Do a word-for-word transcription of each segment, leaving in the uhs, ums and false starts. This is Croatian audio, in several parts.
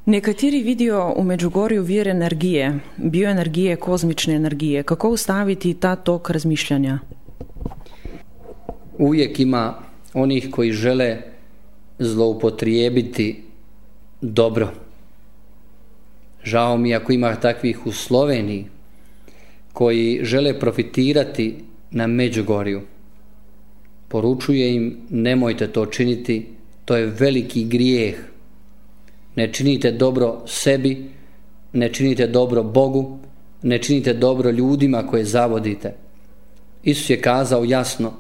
Nekateri vidijo v Medžugorju vir energije, bioenergije, kozmične energije. Kako ustaviti ta tok razmišljanja? Uvijek ima onih koji žele zloupotrijebiti dobro. Žao mi ako ima takvih u Sloveniji koji žele profitirati na Međugorju. Poručuje im, nemojte to činiti, to je veliki grijeh. Ne činite dobro sebi, ne činite dobro Bogu, ne činite dobro ljudima koje zavodite. Isus je kazao jasno,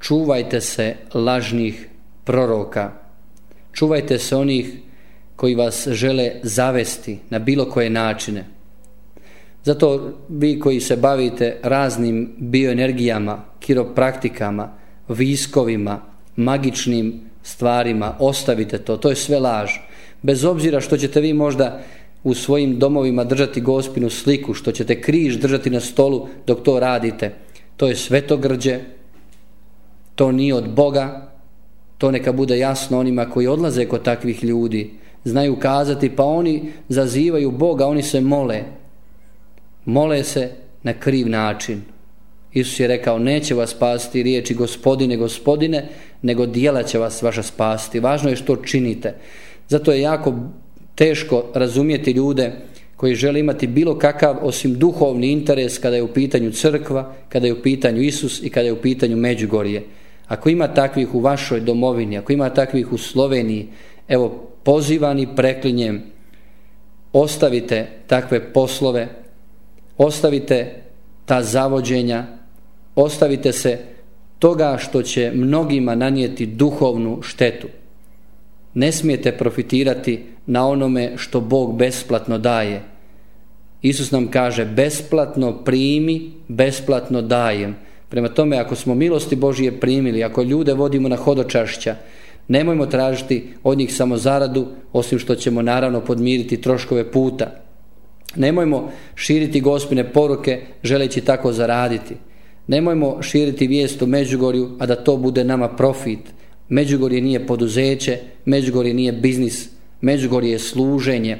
čuvajte se lažnih proroka, čuvajte se onih koji vas žele zavesti na bilo koje načine. Zato vi koji se bavite raznim bioenergijama, kiropraktikama, viskovima, magičnim stvarima, ostavite to, to je sve laž. Bez obzira što ćete vi možda u svojim domovima držati Gospinu sliku, što ćete križ držati na stolu dok to radite, to je svetogrđe, to nije od Boga, to neka bude jasno onima koji odlaze kod takvih ljudi. Znaju kazati, pa oni zazivaju Boga, oni se mole. Mole se na kriv način. Isus je rekao, neće vas spasiti riječi Gospodine, Gospodine, nego djela će vas vaša spasiti. Važno je što činite. Zato je jako teško razumjeti ljude koji žele imati bilo kakav osim duhovni interes kada je u pitanju crkva, kada je u pitanju Isus i kada je u pitanju Međugorje. Ako ima takvih u vašoj domovini, ako ima takvih u Sloveniji, evo pozivam i preklinjem, ostavite takve poslove, ostavite ta zavođenja, ostavite se toga što će mnogima nanijeti duhovnu štetu. Ne smijete profitirati na onome što Bog besplatno daje. Isus nam kaže, besplatno primi, besplatno dajem. Prema tome, ako smo milosti Božije primili, ako ljude vodimo na hodočašća, nemojmo tražiti od njih samo zaradu, osim što ćemo naravno podmiriti troškove puta. Nemojmo širiti Gospine poruke želeći tako zaraditi. Nemojmo širiti vijest u Međugorju, a da to bude nama profit. Međugorje nije poduzeće, Međugorje nije biznis, Međugorje je služenje,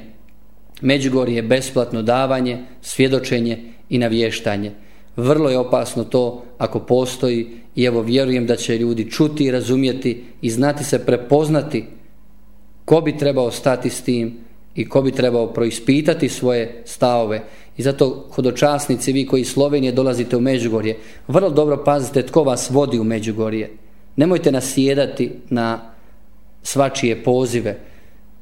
Međugorje je besplatno davanje, svjedočenje i navještanje. Vrlo je opasno to ako postoji i evo vjerujem da će ljudi čuti i razumjeti i znati se prepoznati ko bi trebao stati s tim i ko bi trebao proispitati svoje stavove. I zato hodočasnici, vi koji iz Slovenije dolazite u Međugorje, vrlo dobro pazite tko vas vodi u Međugorje. Nemojte nasjedati na svačije pozive.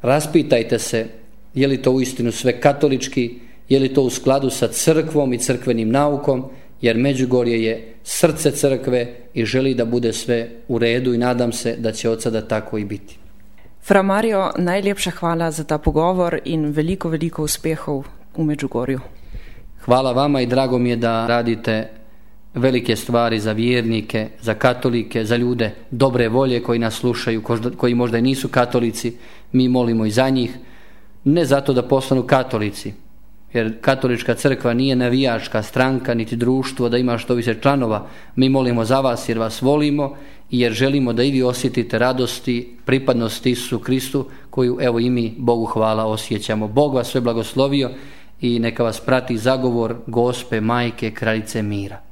Raspitajte se je li to uistinu sve katolički, je li to u skladu sa crkvom i crkvenim naukom, jer Međugorje je srce crkve i želi da bude sve u redu i nadam se da će od sada tako i biti. Fra Mario, najlepša hvala za ta pogovor in veliko, veliko uspehov u Međugorju. Hvala vama i drago mi je da radite velike stvari za vjernike, za katolike, za ljude dobre volje koji nas slušaju, koji možda i nisu katolici. Mi molimo i za njih, ne zato da postanu katolici, jer katolička crkva nije navijačka stranka niti društvo da ima što više članova. Mi molimo za vas jer vas volimo i jer želimo da i vi osjetite radosti, pripadnosti Isusu Kristu koju evo i mi, Bogu hvala, osjećamo. Bog vas sve blagoslovio i neka vas prati zagovor Gospe Majke Kraljice mira.